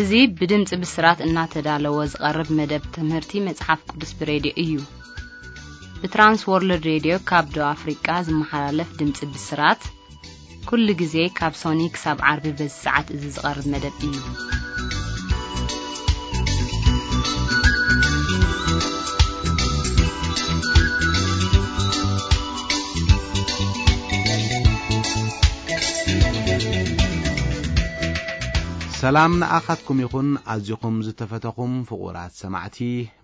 እዚ ብድምፂ ብስራት እናተዳለወ ዝቐርብ መደብ ትምህርቲ መፅሓፍ ቅዱስ ብሬድዮ እዩ። ብትራንስ ወርልድ ሬድዮ ካብ ደቡብ ኣፍሪቃ ዝመሓላለፍ ድምፂ ብስራት ኩሉ ግዜ ካብ ሶኒ ክሳብ ዓርቢ በዚ ሰዓት እዚ ዝቐርብ መደብ እዩ። ሰላም ንኣኻትኩም ይኹን፣ ኣዚኹም ዝተፈተኹም ፍቑራት ሰማዕቲ።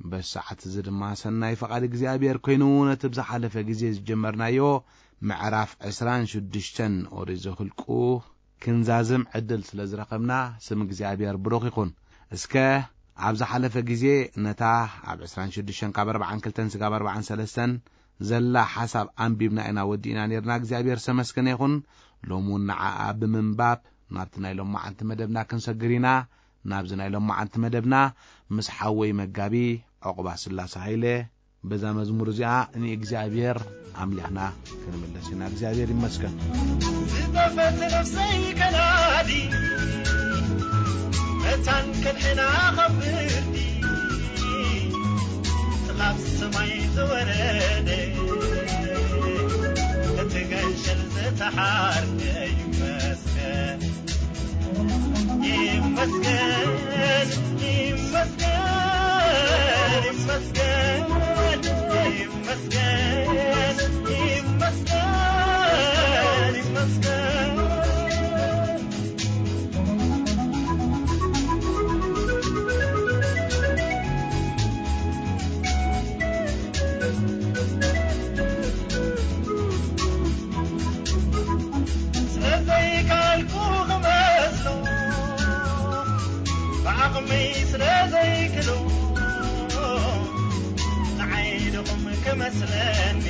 በዚ ሰዓት እዚ ድማ ሰናይ ፈቓድ እግዚኣብሔር ኮይኑ፣ ነቲ ብዝሓለፈ ግዜ ዝጀመርናዮ ምዕራፍ ዕስራን ሽዱሽተን ኦሪት ዘኍልቁ ክንዛዝም ዕድል ስለ ዝረኸብና፣ ስም እግዚኣብሔር ብሩኽ ይኹን። እስከ ኣብ ዝሓለፈ ግዜ ነታ ኣብ ዕስራን ሽዱሽተን ካብ ኣርብዓን ክልተን ስጋብ ኣርብዓን ሰለስተን ዘላ ሓሳብ ኣንቢብና ኢና ወዲእና ነርና። እግዚኣብሔር ዝተመስገነ ይኹን። ሎሚ እውን ንዓኣ ብምንባብ ናብቲ ናይ ሎማዓንቲ መደብና ክንሰግር ኢና። ናብዚ ናይ ሎማዓንቲ መደብና ምስ ሓወይ መጋቢ ዕቑባ ስላሴ ሃይለ በዛ መዝሙር እዚኣ ንእግዚኣብሔር ኣምሊኽና ክንምለስ ኢና። እግዚኣብሔር ይመስገን። ዝጠፈት ነፍሰይ ከናዲ መታን ከድሕና ካብ ፍርዲ፣ ጥላብ ሰማይ ዝወረደ፣ እቲ ገንሸል ዝተሓርደ ይመስገን። ይመስገን፣ ይመስገን፣ ይመስገን፣ ይመስገን፣ ይመስገን፣ ይመስገን። ስለዘይካልኩ ክመስሎ፣ ብዓቕመይ ስለዘይክሎ፣ ንዓይ ድኹም ክመስለኒ፣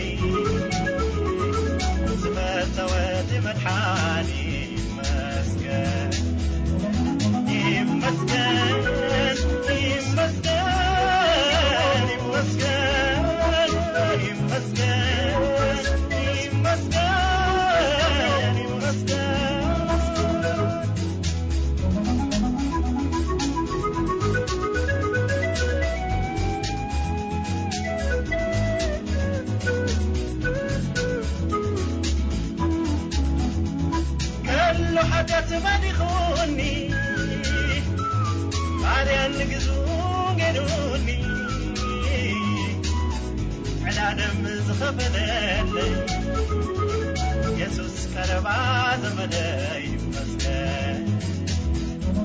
ዝፈተወ እቲ መድሓኒ ይመስገን። ይመስገን፣ ይመስገን፣ ይመስገን፣ ይመስገን፣ ይመስገን፣ ይመስገን። ከሎ ሓጢኣት መሊኹኒ፣ ባርያን ግዙእን ገይሩኒ፣ ዕዳ ደም ዝኸፈለለይ፣ የሱስ ቀረባ ዘመደይ ይመስገን።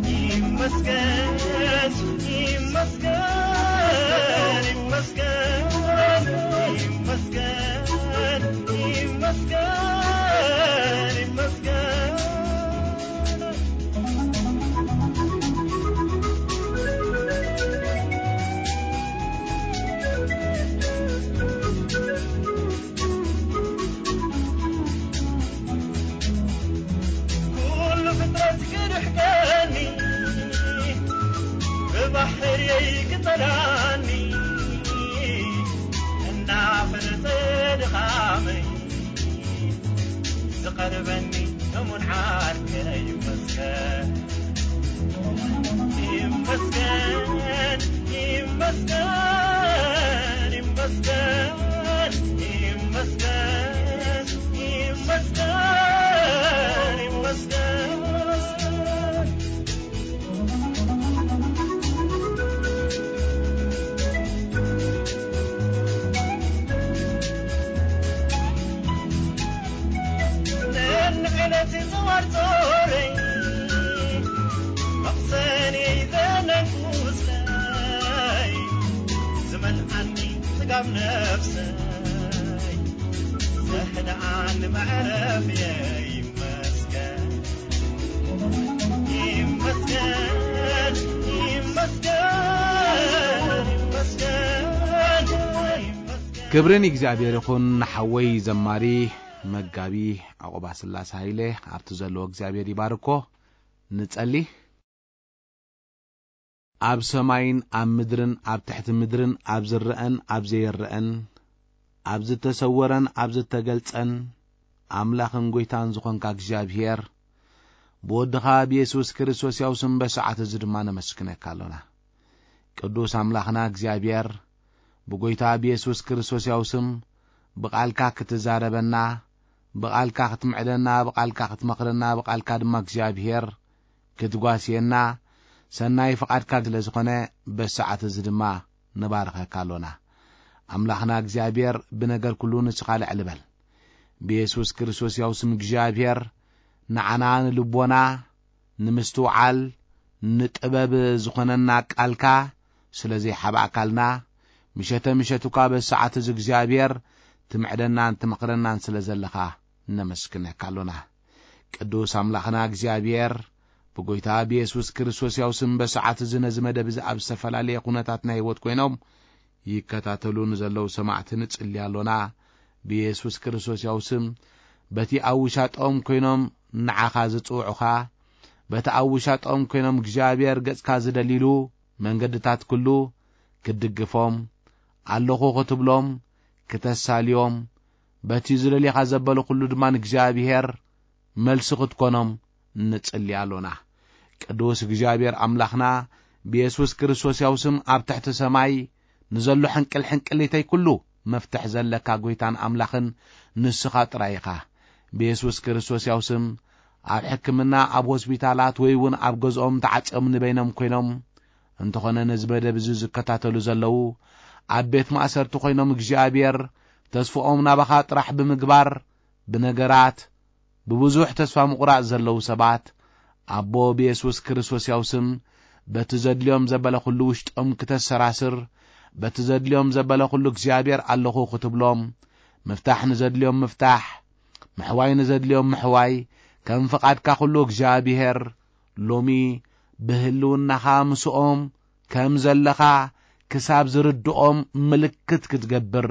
ይመስገን፣ ይመስገን፣ ይመስገን፣ ይመስገን፣ ይመስገን፣ ይመስገን። ኩሉ ፍጥረት ክርሕቀኒ፣ ብባሕርየይ ክጸላኒ፣ እናፈለጠ ድኻመይ ዝቐርበኒ እሙን ዓርከይ ይመስገን። ይመስገን፣ ይመስገን፣ ይመስገን፣ ይመስገን፣ ይመስገን፣ ይመስገን። ነንዕለት ዝዋርጾረይ መቕሰንየይ ዘነንኩስለይ ዝመልኣኒ ጽጋብ ነፍሰይ ዘሕድኣኒ መዕረፍየይ ይመስገን። ይመስገን፣ ይመስገን፣ ይመስገን፣ ይመስገን። ክብሪ ንእግዚኣብሔር ይኹን። ንሓወይ ዘማሪ መጋቢ ዕቑባ ስላሴ ሃይለ ኣብቲ ዘለዎ እግዚኣብሔር ይባርኮ። ንጸሊ። ኣብ ሰማይን ኣብ ምድርን ኣብ ትሕቲ ምድርን ኣብ ዝረአን ኣብ ዘይረአን ኣብ ዝተሰወረን ኣብ ዝተገልጸን ኣምላኽን ጐይታን ዝኾንካ እግዚኣብሔር ብወድኻ ብየሱስ ክርስቶስ ያው ስም በሰዓት እዚ ድማ ነመስግነካ ኣሎና። ቅዱስ ኣምላኽና እግዚኣብሔር፣ ብጎይታ ብየሱስ ክርስቶስ ያው ስም ብቓልካ ክትዛረበና፣ ብቓልካ ክትምዕደና፣ ብቓልካ ክትመኽረና፣ ብቓልካ ድማ እግዚኣብሔር ክትጓስየና ሰናይ ፍቓድካ ስለ ዝኾነ በሰዓት እዚ ድማ ንባርኸካ ኣሎና። ኣምላኽና እግዚኣብሔር ብነገር ኩሉ ንስኻ ልዕል በል። ብየሱስ ክርስቶስ ያው ስም እግዚኣብሔር ንዓና ንልቦና ንምስትውዓል ንጥበብ ዝኾነና ቃልካ ስለ ዘይሓባእካልና፣ ምሸተ ምሸት እኳ በዚ ሰዓት እዚ እግዚኣብሔር ትምዕደናን ትመኽረናን ስለ ዘለኻ ነመስግነካ ኣሎና። ቅዱስ ኣምላኽና እግዚኣብሔር፣ ብጎይታ ብየሱስ ክርስቶስ ያው ስም በሰዓት እዚ ነዚ መደብ እዚ ኣብ ዝተፈላለየ ኩነታት ናይ ህይወት ኮይኖም ይከታተሉ ንዘለዉ ሰማዕቲ ንጽሊ ኣሎና። ብየሱስ ክርስቶስ ያው ስም በቲ ኣብ ውሻጦም ኮይኖም ንዓኻ ዝጽውዑኻ፣ በቲ ኣብ ውሻጦም ኮይኖም እግዚኣብሔር ገጽካ ዝደልይሉ መንገድታት ኩሉ ክትድግፎም፣ ኣለኹ ክትብሎም፣ ክተሳልዮም፣ በቲ ዝደልኻ ዘበለ ኩሉ ድማ ንእግዚኣብሔር መልሲ ክትኮኖም ንጽሊ ኣሎና። ቅዱስ እግዚኣብሔር ኣምላኽና ብየሱስ ክርስቶስ ያው ስም ኣብ ትሕቲ ሰማይ ንዘሎ ሕንቅል ሕንቅሊተይ ኩሉ መፍትሕ ዘለካ ጎይታን ኣምላኽን ንስኻ ጥራይ ኢኻ። ብየሱስ ክርስቶስ ያው ስም ኣብ ሕክምና፣ ኣብ ሆስፒታላት ወይ እውን ኣብ ገዝኦም ተዓጽዮም ንበይኖም ኮይኖም እንተኾነ ነዚ መደብ እዚ ዝከታተሉ ዘለዉ ኣብ ቤት ማእሰርቲ ኮይኖም እግዚኣብሔር ተስፍኦም ናባኻ ጥራሕ ብምግባር ብነገራት ብብዙሕ ተስፋ ምቑራጽ ዘለዉ ሰባት ኣቦ ብየሱስ ክርስቶስ ያው ስም በቲ ዘድልዮም ዘበለ ኩሉ ውሽጦም ክተሰራስር በቲ ዘድልዮም ዘበለ ኩሉ እግዚኣብሔር ኣለኹ ክትብሎም ምፍታሕ ንዘድልዮም ምፍታሕ ምሕዋይ ንዘድልዮም ምሕዋይ ከም ፍቓድካ ኩሉ እግዚኣብሔር ሎሚ ብህልውናኻ ምስኦም ከም ዘለኻ ክሳብ ዝርድኦም ምልክት ክትገብር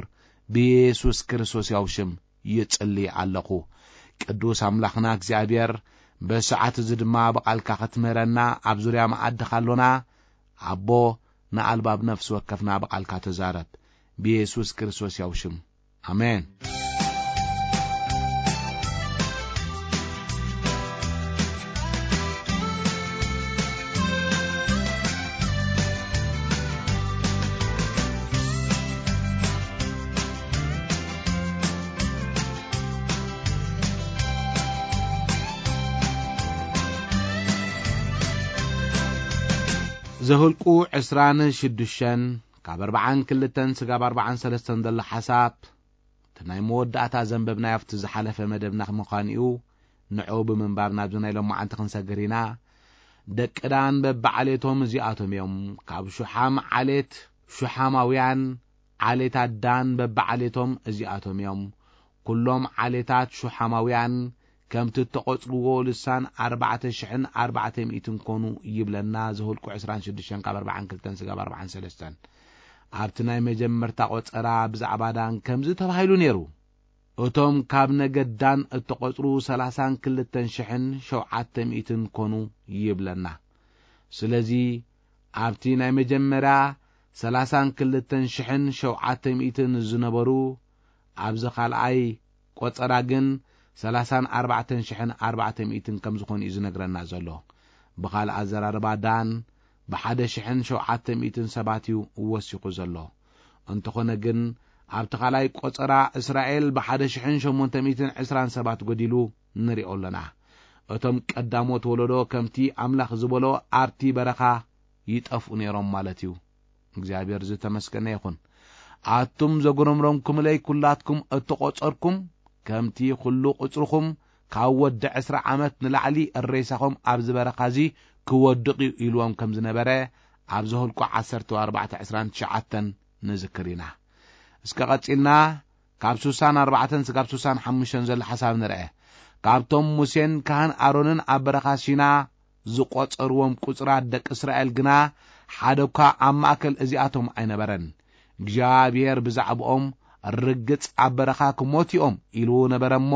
ብየሱስ ክርስቶስ ያው ሽም ይጽሊ ኣለኹ። ቅዱስ ኣምላኽና እግዚኣብሔር በሰዓት እዚ ድማ ብቓልካ ክትምህረና ኣብ ዙርያ መኣድኻ ኣሎና። ኣቦ ንኣልባብ ነፍሲ ወከፍና ብቓልካ ተዛረብ። ብየሱስ ክርስቶስ ያው ሽም ኣሜን። ዘሁልቁ ዕስራን ሽዱሽተን ካብ ኣርባዓን ክልተን ስጋብ ኣርባዓን ሰለስተን ዘሎ ሓሳብ እቲ ናይ መወዳእታ ዘንበብናዮ ኣብቲ ዝሓለፈ መደብና ምዃኑ እዩ። ንዑ ብምንባብ ናብዚ ናይ ሎማዓንቲ ክንሰግር ኢና። ደቂ ዳን በብዓሌቶም እዚኣቶም እዮም። ካብ ሹሓም ዓሌት ሹሓማውያን፣ ዓሌታት ዳን በብዓሌቶም እዚኣቶም እዮም። ኩሎም ዓሌታት ሹሓማውያን ከምቲ እተቖጽርዎ ልሳን ኣርባዕተ ሽሕን ኣርባዕተ ሚእትን ኮኑ ይብለና ዘሁልቁ ዕስራን ሽዱሽተን ካብ ኣርባዓን ክልተን ስጋብ ኣርባዓን ሰለስተን። ኣብቲ ናይ መጀመርታ ቆጸራ ብዛዕባ ዳን ከምዚ ተባሂሉ ነይሩ። እቶም ካብ ነገድ ዳን እተቖጽሩ ሰላሳን ክልተን ሽሕን ሸውዓተ ሚእትን ኮኑ ይብለና። ስለዚ ኣብቲ ናይ መጀመርያ ሰላሳን ክልተን ሽሕን ሸውዓተ ሚእትን ዝነበሩ ኣብዚ ካልኣይ ቆጸራ ግን ሰላሳን ኣርባዕተን ሽሕን ኣርባዕተ ሚእትን ከም ዝኾኑ እዩ ዝነግረና ዘሎ። ብኻልእ ኣዘራርባ ዳን ብሓደ ሽሕን ሸውዓተ ሚእትን ሰባት እዩ ወሲኹ ዘሎ። እንተኾነ ግን ኣብቲ ካልኣይ ቆጸራ እስራኤል ብሓደ ሽሕን ሸሞንተ ሚእትን ዕስራን ሰባት ጎዲሉ ንሪኦ ኣለና። እቶም ቀዳሞት ወለዶ ከምቲ ኣምላኽ ዝበሎ ኣብቲ በረኻ ይጠፍኡ ነይሮም ማለት እዩ። እግዚኣብሔር ዝተመስገነ ይኹን። ኣቱም ዘጉረምረምኩምለይ ኩላትኩም እተቖጸርኩም ከምቲ ኩሉ ቁጽርኹም ካብ ወዲ ዕስራ ዓመት ንላዕሊ እሬሳኹም ኣብዚ በረኻ እዚ ክወድቕ እዩ ኢልዎም ከም ዝነበረ ኣብ ዘሁልቁ ዓሰርተ ኣርባዕተ ዕስራን ትሽዓተን ንዝክር ኢና። እስከ ቀጺልና ካብ ሱሳን ኣርባዕተን ስጋብ ሱሳን ሓሙሽተን ዘሎ ሓሳብ ንርአ። ካብቶም ሙሴን ካህን ኣሮንን ኣብ በረኻ ሲና ዝቖጸርዎም ቁጽራት ደቂ እስራኤል ግና ሓደ እኳ ኣብ ማእከል እዚኣቶም ኣይነበረን። እግዚኣብሔር ብዛዕባኦም ርግጽ ኣብ በረኻ ክሞቱ እዮም ኢሉ ነበረ እሞ፣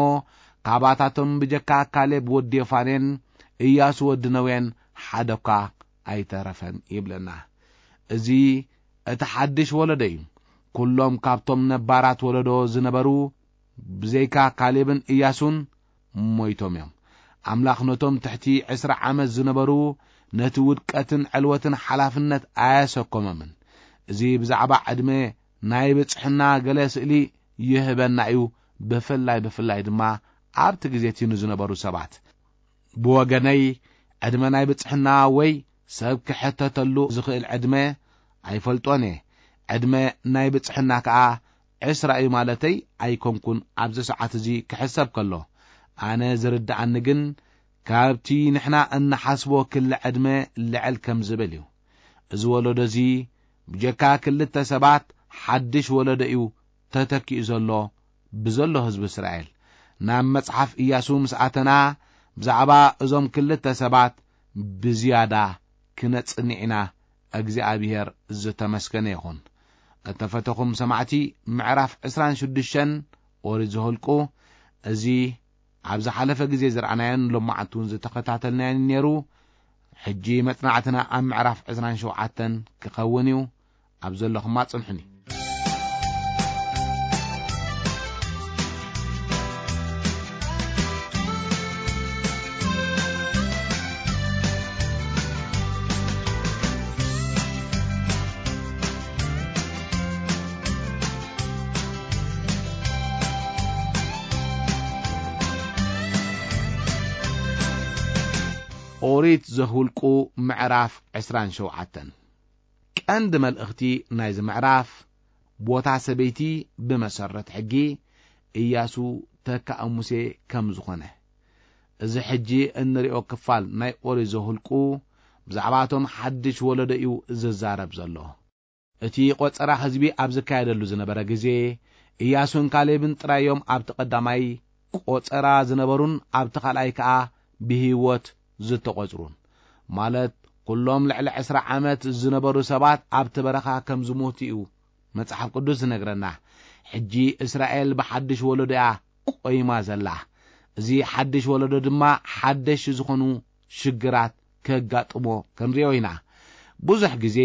ካባታቶም ብጀካ ካሌብ ወዲ የፋኔን እያሱ ወዲ ነዌን ሓደ እኳ ኣይተረፈን ይብለና። እዚ እቲ ሓድሽ ወለዶ እዩ። ኩሎም ካብቶም ነባራት ወለዶ ዝነበሩ ብዘይካ ካሌብን እያሱን ሞይቶም እዮም። ኣምላኽ ነቶም ትሕቲ ዕስራ ዓመት ዝነበሩ ነቲ ውድቀትን ዕልወትን ሓላፍነት ኣየሰከሞምን። እዚ ብዛዕባ ዕድመ ናይ ብጽሕና ገለ ስእሊ ይህበና እዩ፣ ብፍላይ ብፍላይ ድማ ኣብቲ ግዜ እቲ ንዝነበሩ ሰባት። ብወገነይ፣ ዕድመ ናይ ብጽሕና ወይ ሰብ ክሕተተሉ ዝኽእል ዕድመ ኣይፈልጦን እየ። ዕድመ ናይ ብጽሕና ከኣ ዕስራ እዩ ማለተይ ኣይኮንኩን፣ ኣብዚ ሰዓት እዚ ክሕሰብ ከሎ። ኣነ ዝርድኣኒ ግን፣ ካብቲ ንሕና እንሓስቦ ክሊ ዕድመ ልዕል ከም ዝብል እዩ። እዚ ወለዶ እዚ ብጀካ ክልተ ሰባት ሓድሽ ወለዶ እዩ ተተኪኡ ዘሎ፣ ብዘሎ ህዝቢ እስራኤል። ናብ መጽሓፍ ኢያሱ ምስ ኣተና፣ ብዛዕባ እዞም ክልተ ሰባት ብዝያዳ ክነጽንዕ ኢና። እግዚኣብሔር ዝተመስገነ ይኹን። እተፈተኹም ሰማዕቲ፣ ምዕራፍ ዕስራን ሽዱሽተን ኦሪት ዘኍልቁ፣ እዚ ኣብ ዝሓለፈ ግዜ ዝረኣናዮን ሎማዓንቲ እውን ዝተኸታተልናዮን ነይሩ። ሕጂ መጽናዕትና ኣብ ምዕራፍ ዕስራን ሸውዓተን ክኸውን እዩ። ኣብ ዘለኹማ ጽንሑኒ። ኦሪት ዘኍልቁ ምዕራፍ ዕስራን ሸውዓተን። ቀንዲ መልእኽቲ ናይዚ ምዕራፍ፣ ቦታ ሰበይቲ ብመሰረት ሕጊ ኢያሱ ተካኢ ሙሴ ከም ዝኾነ። እዚ ሕጂ እንሪኦ ክፋል ናይ ኦሪት ዘኍልቁ ብዛዕባ እቶም ሓድሽ ወለዶ እዩ ዝዛረብ ዘሎ። እቲ ቆጸራ ህዝቢ ኣብ ዝካየደሉ ዝነበረ ግዜ፣ ኢያሱን ካሌብን ጥራይ እዮም ኣብቲ ቀዳማይ ቆጸራ ዝነበሩን ኣብቲ ካልኣይ ከኣ ብህይወት ዝተቖጽሩን። ማለት፣ ኩሎም ልዕሊ ዕስራ ዓመት ዝነበሩ ሰባት ኣብቲ በረኻ ከም ዝሞቱ እዩ መጽሓፍ ቅዱስ ዝነግረና። ሕጂ እስራኤል ብሓድሽ ወለዶ እያ ቆይማ ዘላ። እዚ ሓድሽ ወለዶ ድማ ሓደሽ ዝኾኑ ሽግራት ከጋጥሞ ክንሪኦ ኢና። ብዙሕ ግዜ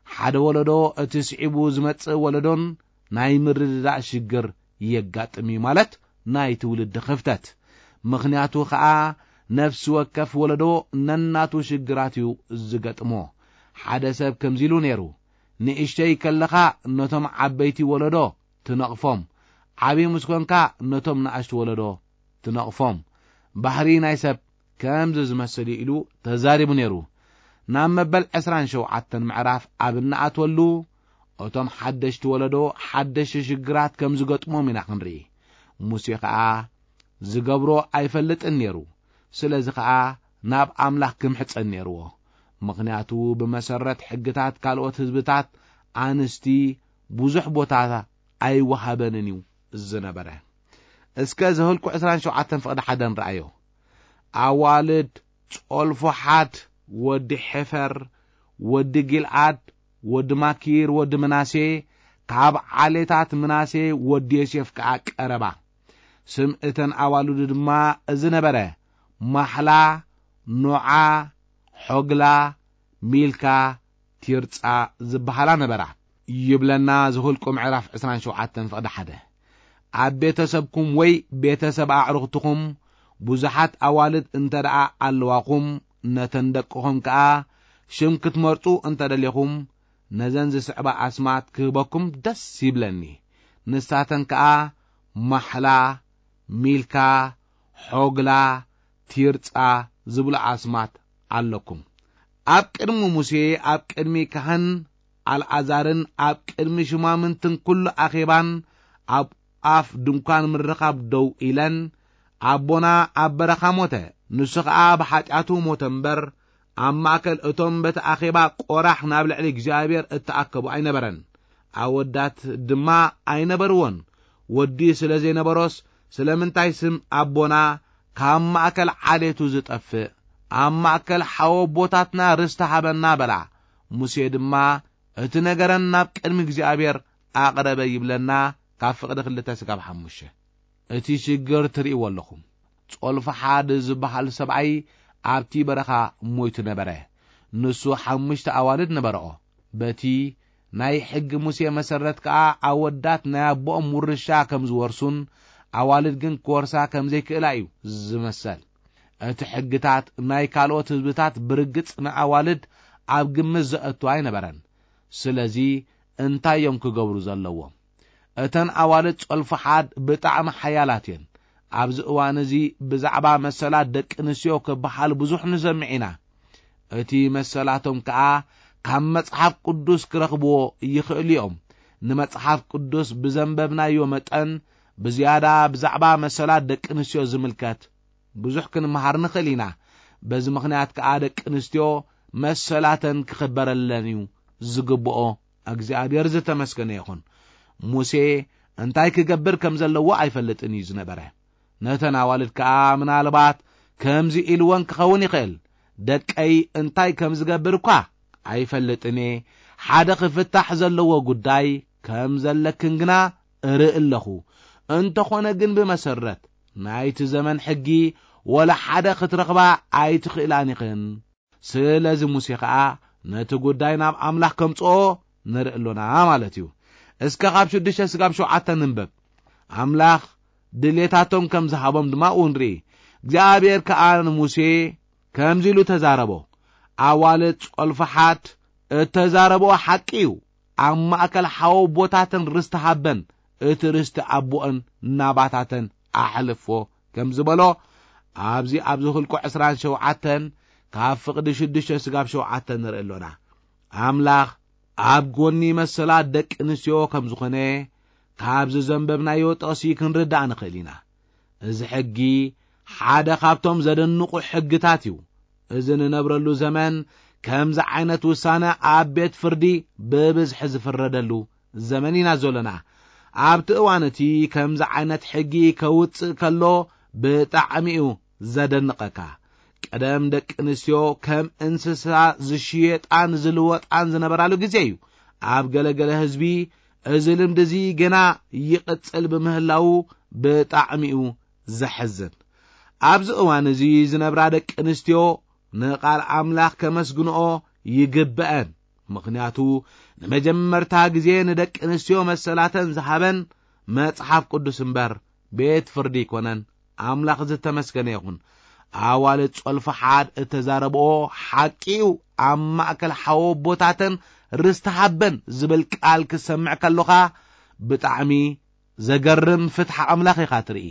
ሓደ ወለዶ እቲ ስዒቡ ዝመጽእ ወለዶን ናይ ምርድዳእ ሽግር የጋጥም እዩ፣ ማለት ናይ ትውልዲ ክፍተት። ምኽንያቱ ኸኣ ነፍሲ ወከፍ ወለዶ ነናቱ ሽግራት እዩ ዝገጥሞ። ሓደ ሰብ ከምዚ ኢሉ ነይሩ፣ ንእሽተይ ከለኻ ነቶም ዓበይቲ ወለዶ ትነቕፎም፣ ዓብዪ ምስ ኮንካ ነቶም ንኣሽቱ ወለዶ ትነቕፎም። ባህሪ ናይ ሰብ ከምዚ ዝመስል እዩ ኢሉ ተዛሪቡ ነይሩ። ናብ መበል ዕስራን ሸውዓተን ምዕራፍ ኣብ እንኣትወሉ፣ እቶም ሓደሽቲ ወለዶ ሓደሽቲ ሽግራት ከም ዝገጥሞም ኢና ክንርኢ። ሙሴ ኸኣ ዝገብሮ ኣይፈልጥን ነይሩ። ስለዚ ኸኣ ናብ ኣምላኽ ክምሕጸን ነይርዎ። ምኽንያቱ ብመሰረት ሕግታት ካልኦት ህዝብታት ኣንስቲ ብዙሕ ቦታ ኣይወሃበንን እዩ ዝነበረ። እስከ ዘኍልቁ ዕስራን ሸውዓተን ፍቕዲ ሓደ ንርኣዮ። ኣዋልድ ጾልፎሓድ ወዲ ሔፈር ወዲ ጊልዓድ ወዲ ማኪር ወዲ ምናሴ፣ ካብ ዓሌታት ምናሴ ወዲ ዮሴፍ ከኣ ቀረባ። ስም እተን ኣዋልዱ ድማ እዚ ነበረ፣ ማሕላ፣ ኖዓ፣ ሖግላ፣ ሚልካ፣ ቲርጻ ዝበሃላ ነበራ። ይብለና ዘኍልቁ ምዕራፍ ዕስራን ሸውዓተን ፍቕዲ ሓደ። ኣብ ቤተሰብኩም ወይ ቤተሰብ ኣዕሩኽትኹም ብዙሓት ኣዋልድ እንተ ደኣ ኣለዋኹም፣ ነተን ደቅኹም ከኣ ሽም ክትመርጹ እንተ ደሌኹም፣ ነዘን ዝስዕባ ኣስማት ክህበኩም ደስ ይብለኒ። ንሳተን ከኣ ማሕላ፣ ሚልካ፣ ሖግላ፣ ቲርጻ ዝብሉ ኣስማት ኣለኩም። ኣብ ቅድሚ ሙሴ፣ ኣብ ቅድሚ ካህን ኣልኣዛርን ኣብ ቅድሚ ሽማምንትን ኩሉ ኣኼባን ኣብ ኣፍ ድንኳን ምርኻብ ደው ኢለን፣ ኣቦና ኣብ በረኻ ሞተ፣ ንሱ ኸኣ ብሓጢኣቱ ሞተ እምበር፣ ኣብ ማእከል እቶም በቲ ኣኼባ ቆራሕ ናብ ልዕሊ እግዚኣብሔር እተኣከቡ ኣይነበረን። ኣወዳት ድማ ኣይነበርዎን። ወዲ ስለ ዘይነበሮስ፣ ስለምንታይ ስም ኣቦና ካብ ማእከል ዓሌቱ ዝጠፍእ? ኣብ ማእከል ሓወቦታትና ርስቲ ሃበና በላ። ሙሴ ድማ እቲ ነገረን ናብ ቅድሚ እግዚኣብሔር ኣቕረበ ይብለና፣ ካብ ፍቕዲ ክልተ ስጋብ ሓሙሽተ። እቲ ሽግር ትርእይዎ ኣለኹም። ጾልፍሓድ ዝበሃል ሰብኣይ ኣብቲ በረኻ ሞይቱ ነበረ። ንሱ ሓሙሽተ ኣዋልድ ነበረኦ። በቲ ናይ ሕጊ ሙሴ መሰረት ከኣ ኣወዳት ናይ ኣቦኦም ውርሻ ከም ዝወርሱን ኣዋልድ ግን ክወርሳ ከም ዘይክእላ እዩ ዝመሰል። እቲ ሕግታት ናይ ካልኦት ህዝብታት ብርግጽ ንኣዋልድ ኣብ ግምት ዘእቱ ኣይነበረን። ስለዚ እንታይ እዮም ክገብሩ ዘለዎም? እተን ኣዋልድ ጾልፍሓድ ብጣዕሚ ሓያላት እየን። ኣብዚ እዋን እዚ ብዛዕባ መሰላት ደቂ ኣንስትዮ ክበሃል ብዙሕ ንሰምዕ ኢና። እቲ መሰላቶም ከኣ ካብ መጽሓፍ ቅዱስ ክረኽብዎ ይኽእሉ እዮም። ንመጽሓፍ ቅዱስ ብዘንበብናዮ መጠን ብዝያዳ ብዛዕባ መሰላት ደቂ ኣንስትዮ ዝምልከት ብዙሕ ክንመሃር ንኽእል ኢና። በዚ ምኽንያት ከኣ ደቂ ኣንስትዮ መሰላተን ክኽበረለን እዩ ዝግብኦ። እግዚኣብሔር ዝተመስገነ ይኹን። ሙሴ እንታይ ክገብር ከም ዘለዎ ኣይፈልጥን እዩ ዝነበረ። ነተን ኣዋልድ ከኣ ምናልባት ከምዚ ኢልወን ክኸውን ይኽእል፣ "ደቀይ እንታይ ከም ዝገብር እኳ ኣይፈልጥን እየ። ሓደ ክፍታሕ ዘለዎ ጉዳይ ከም ዘለክን ግና እርኢ ኣለኹ። እንተኾነ ግን ብመሰረት ናይቲ ዘመን ሕጊ ወላ ሓደ ክትረኽባ ኣይትኽእላን ኢኽን።" ስለዚ ሙሴ ኸኣ ነቲ ጉዳይ ናብ ኣምላኽ ከምጽኦ ንርኢ ኣሎና ማለት እዩ። እስከ ካብ ሽዱሽተ ስጋብ ሸውዓተ ንንበብ። ኣምላኽ ድሌታቶም ከም ዝሃቦም ድማ ኣብኡ ንርኢ። እግዚኣብሔር ከኣ ንሙሴ ከምዚ ኢሉ ተዛረቦ፣ "ኣዋልድ ጾልፍሓት እተዛረብኦ ሓቂ እዩ። ኣብ ማእከል ሓወቦታተን ርስቲ ሃበን፣ እቲ ርስቲ ኣቦኦን ናባታተን ኣሕልፎ" ከም ዝበሎ፣ ኣብዚ ኣብ ዘኍልቁ ዕስራን ሸውዓተን ካብ ፍቕዲ ሽዱሽተ ስጋብ ሸውዓተ ንርኢ ኣሎና። ኣምላኽ ኣብ ጎኒ መሰላት ደቂ ኣንስትዮ ከም ዝኾነ ካብዚ ዘንበብናዮ ጥቕሲ ክንርዳእ ንኽእል ኢና። እዚ ሕጊ ሓደ ካብቶም ዘደንቑ ሕግታት እዩ። እዚ ንነብረሉ ዘመን ከምዚ ዓይነት ውሳነ ኣብ ቤት ፍርዲ ብብዝሒ ዝፍረደሉ ዘመን ኢና ዘሎና። ኣብቲ እዋን እቲ ከምዚ ዓይነት ሕጊ ከውጽእ ከሎ ብጣዕሚ እዩ ዘደንቐካ። ቀደም ደቂ ኣንስትዮ ከም እንስሳ ዝሽየጣን ዝልወጣን ዝነበራሉ ግዜ እዩ። ኣብ ገለገለ ህዝቢ እዚ ልምዲ እዚ ገና ይቕጽል ብምህላዉ ብጣዕሚ እዩ ዘሕዝን። ኣብዚ እዋን እዚ ዝነብራ ደቂ ኣንስትዮ ንቓል ኣምላኽ ከመስግንኦ ይግብአን። ምኽንያቱ ንመጀመርታ ግዜ ንደቂ ኣንስትዮ መሰላተን ዝሃበን መጽሓፍ ቅዱስ እምበር ቤት ፍርዲ ኣይኮነን። ኣምላኽ ዝተመስገነ ይኹን። ኣዋልድ ጾልፍሓድ እተዛረብኦ ሓቂ እዩ። ኣብ ማእከል ሓወቦታተን ርስቲ ሃበን ዝብል ቃል ክሰምዕ ከሎኻ ብጣዕሚ ዘገርም ፍትሒ ኣምላኽ ኢኻ ትርኢ።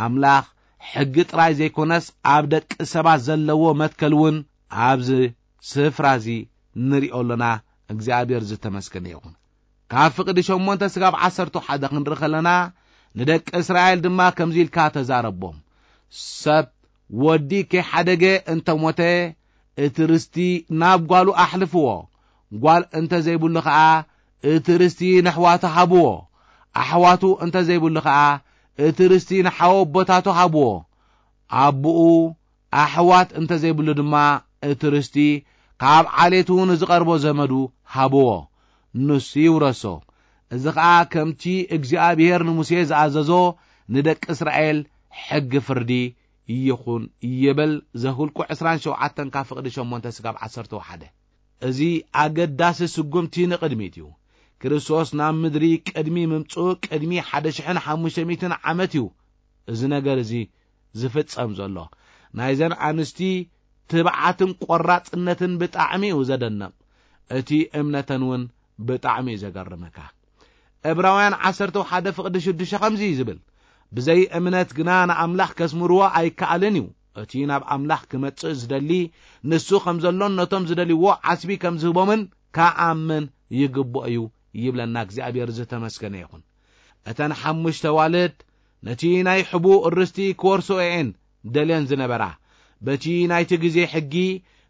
ኣምላኽ ሕጊ ጥራይ ዘይኮነስ ኣብ ደቂ ሰባት ዘለዎ መትከል እውን ኣብዚ ስፍራ እዚ ንሪኦ ኣሎና። እግዚኣብሔር ዝተመስገነ ይኹን። ካብ ፍቕዲ ሸሞንተ ስጋብ ዓሰርተ ሓደ ክንርኢ ከለና፣ ንደቂ እስራኤል ድማ ከምዚ ኢልካ ተዛረቦም፣ "ሰብ ወዲ ከይሓደገ እንተ ሞተ፣ እቲ ርስቲ ናብ ጓሉ ኣሕልፍዎ፣ ጓል እንተ ዘይብሉ ኸኣ እቲ ርስቲ ነሕዋቱ ሃብዎ፣ ኣሕዋቱ እንተ ዘይብሉ ኸኣ እቲ ርስቲ ንሓወቦታቱ ሃብዎ፣ ኣቦኡ ኣሕዋት እንተ ዘይብሉ ድማ እቲ ርስቲ ካብ ዓሌቱ ንዝቐርቦ ዘመዱ ሃብዎ፣ ንሱ ይውረሶ። እዚ ኸኣ ከምቲ እግዚኣብሔር ንሙሴ ዝኣዘዞ ንደቂ እስራኤል ሕጊ ፍርዲ ይኹን" ይብል። ዘኍልቁ ዕስራን ሸውዓተን ካብ ፍቕዲ ሸሞንተ ስጋብ ዓሰርተ ሓደ። እዚ ኣገዳሲ ስጉምቲ ንቕድሚት እዩ። ክርስቶስ ናብ ምድሪ ቅድሚ ምምጽኡ ቅድሚ ሓደ ሽሕን ሓሙሽተ ሚእትን ዓመት እዩ እዚ ነገር እዚ ዝፍጸም ዘሎ። ናይዘን ኣንስቲ ትብዓትን ቆራጽነትን ብጣዕሚ እዩ ዘደንቕ። እቲ እምነተን እውን ብጣዕሚ እዩ ዘገርመካ። ዕብራውያን ዓሰርተ ሓደ ፍቕዲ ሽዱሽተ ከምዚ እዩ ዝብል፣ "ብዘይ እምነት ግና ንኣምላኽ ከስምርዎ ኣይከኣልን እዩ። እቲ ናብ ኣምላኽ ክመጽእ ዝደሊ ንሱ ከም ዘሎን ነቶም ዝደልይዎ ዓስቢ ከም ዝህቦምን ከኣምን ይግብኦ እዩ" ይብለና። እግዚኣብሔር ዝተመስገነ ይኹን። እተን ሓሙሽተ ኣዋልድ ነቲ ናይ ሕቡእ ርስቲ ክወርሶ እየን ደልየን ዝነበራ። በቲ ናይቲ ግዜ ሕጊ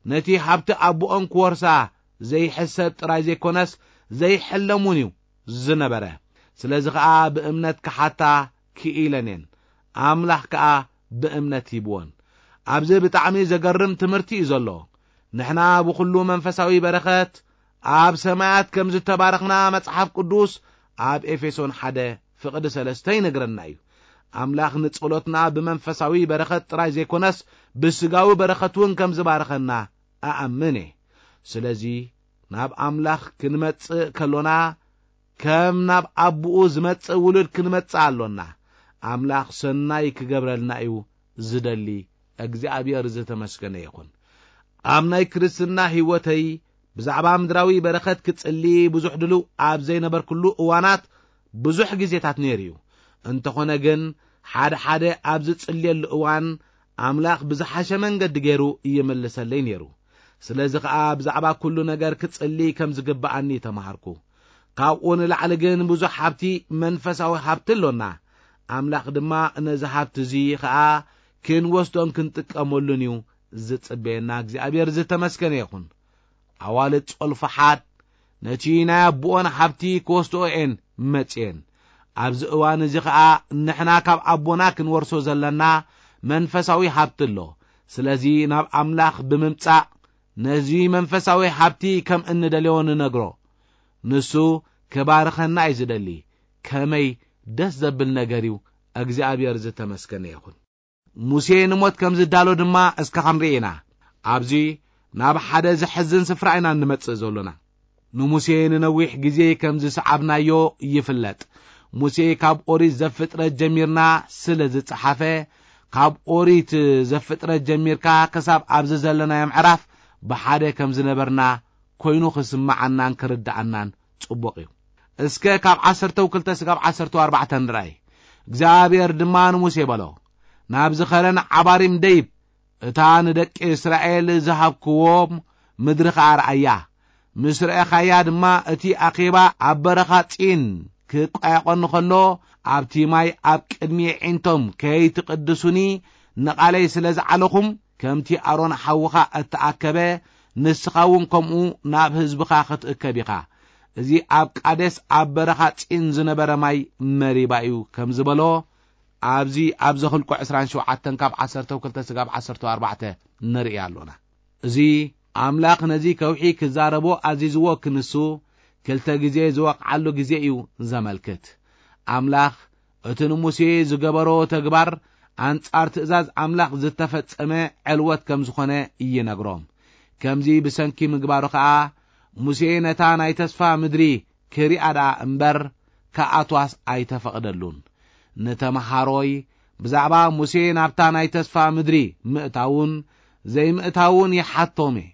ነቲ ሃብቲ ኣቦኦም ክወርሳ ዘይሕሰብ ጥራይ ዘይኮነስ ዘይሕለም እውን እዩ ዝነበረ። ስለዚ ኸኣ ብእምነት ክሓታ ክኢለን እየን። ኣምላኽ ከኣ ብእምነት ሂብወን። ኣብዚ ብጣዕሚ ዘገርም ትምህርቲ እዩ ዘሎ። ንሕና ብኹሉ መንፈሳዊ በረኸት ኣብ ሰማያት ከም ዝተባረኽና መጽሓፍ ቅዱስ ኣብ ኤፌሶን ሓደ ፍቕዲ ሰለስተ ይነግረና እዩ። ኣምላኽ ንጸሎትና ብመንፈሳዊ በረኸት ጥራይ ዘይኮነስ ብስጋዊ በረኸት እውን ከም ዝባረኸና እኣምን እየ። ስለዚ ናብ ኣምላኽ ክንመጽእ ከሎና ከም ናብ ኣቦኡ ዝመጽእ ውሉድ ክንመጽእ ኣሎና። ኣምላኽ ሰናይ ክገብረልና እዩ ዝደሊ። እግዚኣብሔር ዝተመስገነ ይኹን። ኣብ ናይ ክርስትና ሕይወተይ ብዛዕባ ምድራዊ በረኸት ክጽሊ ብዙሕ ድልው ኣብ ዘይነበርኩሉ እዋናት ብዙሕ ግዜታት ነይሩ እዩ። እንተኾነ ግን ሓደ ሓደ ኣብ ዝጽልየሉ እዋን ኣምላኽ ብዝሓሸ መንገዲ ገይሩ ይምልሰለይ ነይሩ። ስለዚ ኸኣ ብዛዕባ ኩሉ ነገር ክጽሊ ከም ዝግብኣኒ ተማሃርኩ። ካብኡ ንላዕሊ ግን ብዙሕ ሃብቲ፣ መንፈሳዊ ሃብቲ ኣሎና። ኣምላኽ ድማ ነዚ ሃብቲ እዚ ኸኣ ክንወስዶን ክንጥቀመሉን እዩ ዝጽበየና። እግዚኣብሔር ዝተመስገነ ይኹን። ኣዋልድ ጾልፍሓድ ነቲ ናይ ኣቦኦን ሃብቲ ክወስድኦ እየን መጽየን። ኣብዚ እዋን እዚ ኸኣ ንሕና ካብ ኣቦና ክንወርሶ ዘለና መንፈሳዊ ሃብቲ ኣሎ። ስለዚ ናብ ኣምላኽ ብምምጻእ ነዚ መንፈሳዊ ሃብቲ ከም እንደልዮ ንነግሮ። ንሱ ክባርኸና እዩ ዝደሊ። ከመይ ደስ ዘብል ነገር እዩ! እግዚኣብሔር ዝተመስገነ ይኹን። ሙሴ ንሞት ከም ዝዳሎ ድማ እስከ ክንርኢ ኢና። ኣብዚ ናብ ሓደ ዘሕዝን ስፍራ ኢና እንመጽእ ዘሎና። ንሙሴ ንነዊሕ ግዜ ከም ዝሰዓብናዮ ይፍለጥ። ሙሴ ካብ ኦሪት ዘፍጥረት ጀሚርና ስለ ዝጸሓፈ፣ ካብ ኦሪት ዘፍጥረት ጀሚርካ ክሳብ ኣብዚ ዘለናዮ ምዕራፍ ብሓደ ከም ዝነበርና ኮይኑ ክስምዓናን ክርድኣናን ጽቡቕ እዩ። እስከ ካብ ዓሰርተው ክልተ ስጋብ ዓሰርተው ኣርባዕተ ንርኣይ። እግዚኣብሔር ድማ ንሙሴ በሎ፣ ናብዚ ኸረን ዓባሪም ደይብ፣ እታ ንደቂ እስራኤል ዝሃብክዎም ምድሪ ኸኣ ርኣያ። ምስ ረኣኻያ ድማ፣ እቲ ኣኼባ ኣብ በረኻ ጺን ክቋየቖኒ ኸሎ፣ ኣብቲ ማይ ኣብ ቅድሚ የዒንቶም ከይትቕድሱኒ ንቓለይ ስለ ዝዓለኹም፣ ከምቲ ኣሮን ሓውኻ እተኣከበ፣ ንስኻ እውን ከምኡ ናብ ህዝብኻ ክትእከብ ኢኻ። እዚ ኣብ ቃዴስ ኣብ በረኻ ጺን ዝነበረ ማይ መሪባ እዩ፣ ከም ዝበሎ ኣብዚ ኣብ ዘኍልቁ ዕስራን ሸውዓተን ካብ ዓሰርተው ክልተ ስጋብ ዓሰርተው ኣርባዕተ ንርኢ ኣሎና። እዚ ኣምላኽ ነዚ ከውሒ ክዛረቦ ኣዚዝዎ ክንሱ ክልተ ግዜ ዝወቕዓሉ ግዜ እዩ ዘመልክት። ኣምላኽ እቲ ንሙሴ ዝገበሮ ተግባር ኣንጻር ትእዛዝ ኣምላኽ ዝተፈጸመ ዕልወት ከም ዝኾነ ይነግሮም። ከምዚ ብሰንኪ ምግባሩ ኸኣ ሙሴ ነታ ናይ ተስፋ ምድሪ ክሪኣ ደኣ እምበር ክኣትዋስ ኣይተፈቕደሉን። ንተመሃሮይ ብዛዕባ ሙሴ ናብታ ናይ ተስፋ ምድሪ ምእታውን ዘይምእታውን ይሓቶም እየ።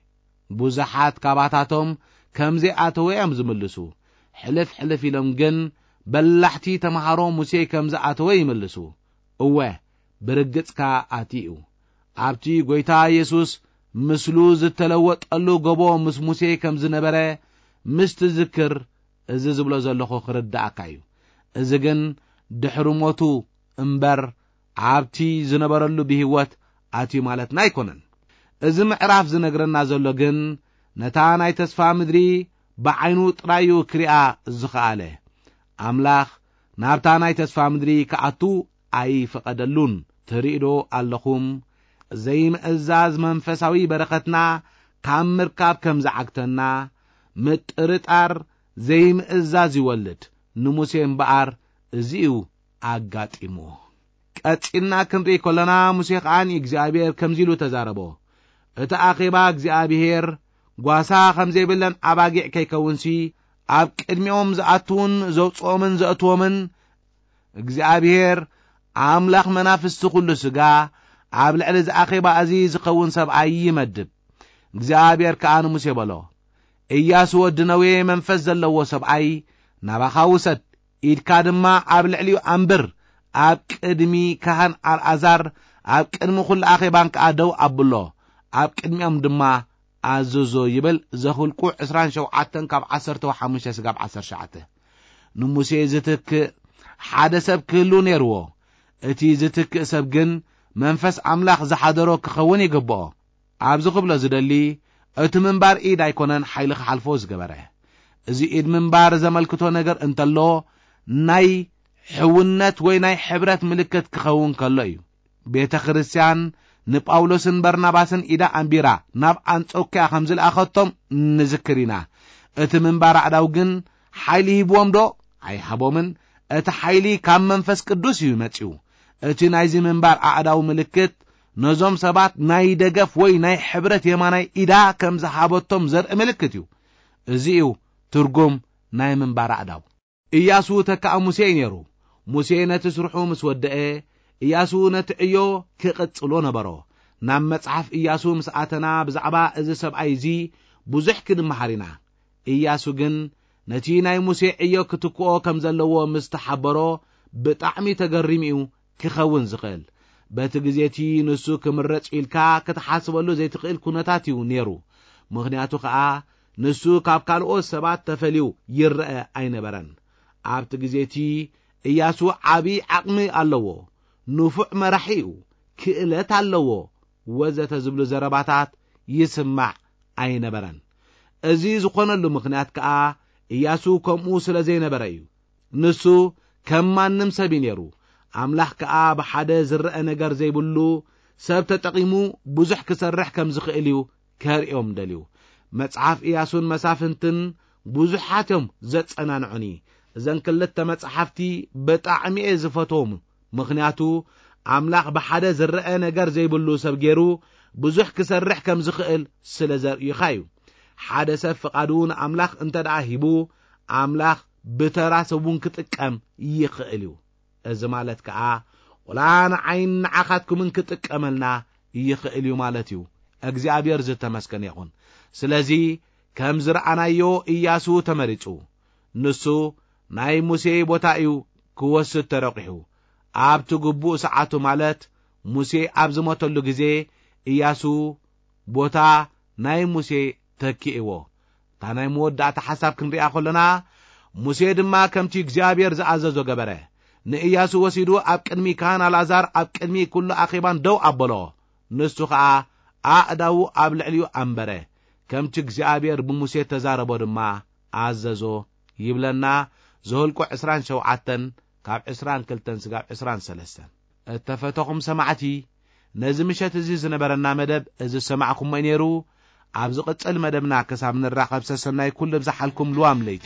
ብዙሓት ካባታቶም ከም ዘይኣተወ እዮም ዝምልሱ። ሕልፍ ሕልፍ ኢሎም ግን በላሕቲ ተመሃሮ ሙሴ ከም ዝኣተወ ይምልሱ። እወ፣ ብርግጽ ከኣ ኣትዩ። ኣብቲ ጐይታ የሱስ ምስሉ ዝተለወጠሉ ጎቦ ምስ ሙሴ ከም ዝነበረ ምስ ትዝክር፣ እዚ ዝብሎ ዘለኹ ክርድኣካ እዩ። እዚ ግን ድሕሪ ሞቱ እምበር ኣብቲ ዝነበረሉ ብህይወት ኣትዩ ማለትና ኣይኮነን። እዚ ምዕራፍ ዝነግረና ዘሎ ግን ነታ ናይ ተስፋ ምድሪ ብዓይኑ ጥራይ እዩ ክሪኣ ዝኸኣለ። ኣምላኽ ናብታ ናይ ተስፋ ምድሪ ክኣቱ ኣይፈቐደሉን። ትርእዩ ዶ ኣለኹም? ዘይምእዛዝ መንፈሳዊ በረኸትና ካብ ምርካብ ከም ዝዓግተና፣ ምጥርጣር ዘይምእዛዝ ይወልድ። ንሙሴ እምበኣር እዚ እዩ ኣጋጢምዎ። ቀጺልና ክንርኢ ከለና፣ ሙሴ ኸኣ ንእግዚኣብሔር ከምዚ ኢሉ ተዛረቦ፣ እቲ ኣኼባ እግዚኣብሔር ጓሳ ከም ዘይብለን ኣባጊዕ ከይከውንሲ፣ ኣብ ቅድሚኦም ዝኣትዉን ዘውጽኦምን ዘእትዎምን እግዚኣብሔር ኣምላኽ መናፍስቲ ኹሉ ስጋ ኣብ ልዕሊ እዚ ኣኼባ እዚ ዝኸውን ሰብኣይ ይመድብ። እግዚኣብሔር ከኣ ንሙሴ በሎ፣ እያሱ ወዲ ነዌ መንፈስ ዘለዎ ሰብኣይ ናባኻ ውሰድ፣ ኢድካ ድማ ኣብ ልዕሊኡ ኣንብር፣ ኣብ ቅድሚ ካህን ኣልኣዛር ኣብ ቅድሚ ኹሉ ኣኼባን ከኣ ደው ኣብሎ፣ ኣብ ቅድሚኦም ድማ ኣዝዞ ይብል። ዘኍልቁ ዕስራን ሸውዓተን ካብ ዓሰርተ ሓሙሽተ ስጋብ ዓሰርተ ትሽዓተ። ንሙሴ ዝትክእ ሓደ ሰብ ክህሉ ነይርዎ። እቲ ዝትክእ ሰብ ግን መንፈስ ኣምላኽ ዝሓደሮ ክኸውን ይግብኦ። ኣብዚ ክብሎ ዝደሊ፣ እቲ ምንባር ኢድ ኣይኮነን ሓይሊ ክሓልፎ ዝገበረ። እዚ ኢድ ምንባር ዘመልክቶ ነገር እንተሎ፣ ናይ ሕውነት ወይ ናይ ሕብረት ምልክት ክኸውን ከሎ እዩ። ቤተ ክርስቲያን ንጳውሎስን በርናባስን ኢዳ ኣንቢራ ናብ ኣንጾክያ ከም ዝለኣኸቶም ንዝክር ኢና። እቲ ምንባር ኣእዳው ግን ሓይሊ ሂብዎም ዶ? ኣይሃቦምን። እቲ ሓይሊ ካብ መንፈስ ቅዱስ እዩ መጺኡ። እቲ ናይዚ ምንባር ኣእዳው ምልክት ነዞም ሰባት ናይ ደገፍ ወይ ናይ ሕብረት የማናይ ኢዳ ከም ዝሃበቶም ዘርኢ ምልክት እዩ። እዚ እዩ ትርጉም ናይ ምንባር ኣእዳው። እያሱ ተካእ ሙሴ እዩ ነይሩ። ሙሴ ነቲ ስርሑ ምስ ወደአ፣ እያሱ ነቲ ዕዮ ክቕጽሎ ነበሮ። ናብ መጽሓፍ ኢያሱ ምስ ኣተና፣ ብዛዕባ እዚ ሰብኣይ እዚ ብዙሕ ክንመሃር ኢና። ኢያሱ ግን ነቲ ናይ ሙሴ ዕዮ ክትክኦ ከም ዘለዎ ምስ ተሓበሮ፣ ብጣዕሚ ተገሪሙ እዩ ክኸውን ዝኽእል። በቲ ግዜ እቲ ንሱ ክምረጽ ኢልካ ክትሓስበሉ ዘይትኽእል ኩነታት እዩ ነይሩ። ምኽንያቱ ከኣ ንሱ ካብ ካልኦት ሰባት ተፈልዩ ይረአ ኣይነበረን። ኣብቲ ግዜ እቲ ኢያሱ ዓቢ ዓቕሚ ኣለዎ፣ ንፉዕ መራሒ እዩ፣ ክእለት ኣለዎ፣ ወዘተ ዝብሉ ዘረባታት ይስማዕ ኣይነበረን። እዚ ዝኾነሉ ምኽንያት ከኣ ኢያሱ ከምኡ ስለ ዘይነበረ እዩ። ንሱ ከም ማንም ሰብ እዩ ነይሩ። ኣምላኽ ከኣ ብሓደ ዝረአ ነገር ዘይብሉ ሰብ ተጠቒሙ ብዙሕ ክሰርሕ ከም ዝኽእል እዩ ከርእዮም ደልዩ። መጽሓፍ ኢያሱን መሳፍንትን ብዙሓት እዮም ዘጸናንዑኒ። እዘን ክልተ መጽሓፍቲ ብጣዕሚ እየ ዝፈትዎም። ምኽንያቱ ኣምላኽ ብሓደ ዝረአ ነገር ዘይብሉ ሰብ ገይሩ ብዙሕ ክሰርሕ ከም ዝኽእል ስለ ዘርእዩኻ እዩ። ሓደ ሰብ ፍቓዱ ንኣምላኽ እንተ ደኣ ሂቡ፣ ኣምላኽ ብተራ ሰብ እውን ክጥቀም ይኽእል እዩ። እዚ ማለት ከኣ፣ ወላ ንዓይን ንዓኻትኩምን ክጥቀመልና ይኽእል እዩ ማለት እዩ። እግዚኣብሔር ዝተመስገነ ይኹን። ስለዚ ከም ዝረኣናዮ፣ ኢያሱ ተመሪጹ። ንሱ ናይ ሙሴ ቦታ እዩ ክወስድ ተረቂሑ። ኣብቲ ግቡእ ሰዓቱ፣ ማለት ሙሴ ኣብ ዝሞተሉ ግዜ፣ ኢያሱ ቦታ ናይ ሙሴ ተኪእዎ። እታ ናይ መወዳእታ ሓሳብ ክንሪኣ ከሎና፣ ሙሴ ድማ ከምቲ እግዚኣብሔር ዝኣዘዞ ገበረ። ንኢያሱ ወሲዱ ኣብ ቅድሚ ካህን ኣልኣዛር፣ ኣብ ቅድሚ ኩሉ ኣኼባን ደው ኣበሎ። ንሱ ኸኣ ኣእዳዉ ኣብ ልዕሊኡ ኣንበረ። ከምቲ እግዚኣብሔር ብሙሴ ተዛረቦ ድማ ኣዘዞ ይብለና። ዘኍልቁ ዕስራን ሸውዓተን ካብ ዕስራን ክልተን ስጋብ ዕስራን ሰለስተን። እተፈተኹም ሰማዕቲ፣ ነዚ ምሸት እዚ ዝነበረና መደብ እዚ ዝሰማዕኩሞ እዩ ነይሩ። ኣብ ዝቕጽል መደብና ክሳብ ንራኸብ ሰሰናይ ኩሉ ብዝሓልኩም ልዋም ለይቲ።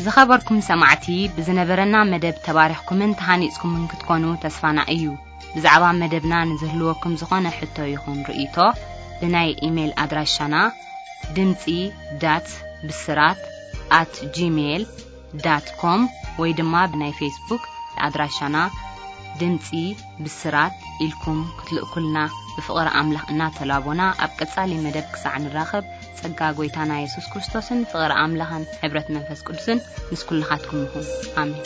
ዝኸበርኩም ሰማዕቲ፣ ብዝነበረና መደብ ተባሪኽኩምን ተሃኒጽኩምን ክትኮኑ ተስፋና እዩ። ብዛዕባ መደብና ንዝህልወኩም ዝኾነ ሕቶ ይኹን ርእይቶ፣ ብናይ ኢሜይል ኣድራሻና ድምጺ ዳት ብስራት ኣት ጂሜይል ዳት ኮም ወይ ድማ ብናይ ፌስቡክ ኣድራሻና ድምጺ ብስራት ኢልኩም ክትልእኩልና ብፍቕሪ ኣምላኽ እናተላቦና፣ ኣብ ቀጻሊ መደብ ክሳዕ ንራኸብ፣ ጸጋ ጐይታና የሱስ ክርስቶስን ፍቕሪ ኣምላኽን ሕብረት መንፈስ ቅዱስን ምስ ኩልኻትኩም ይኹን። ኣሜን።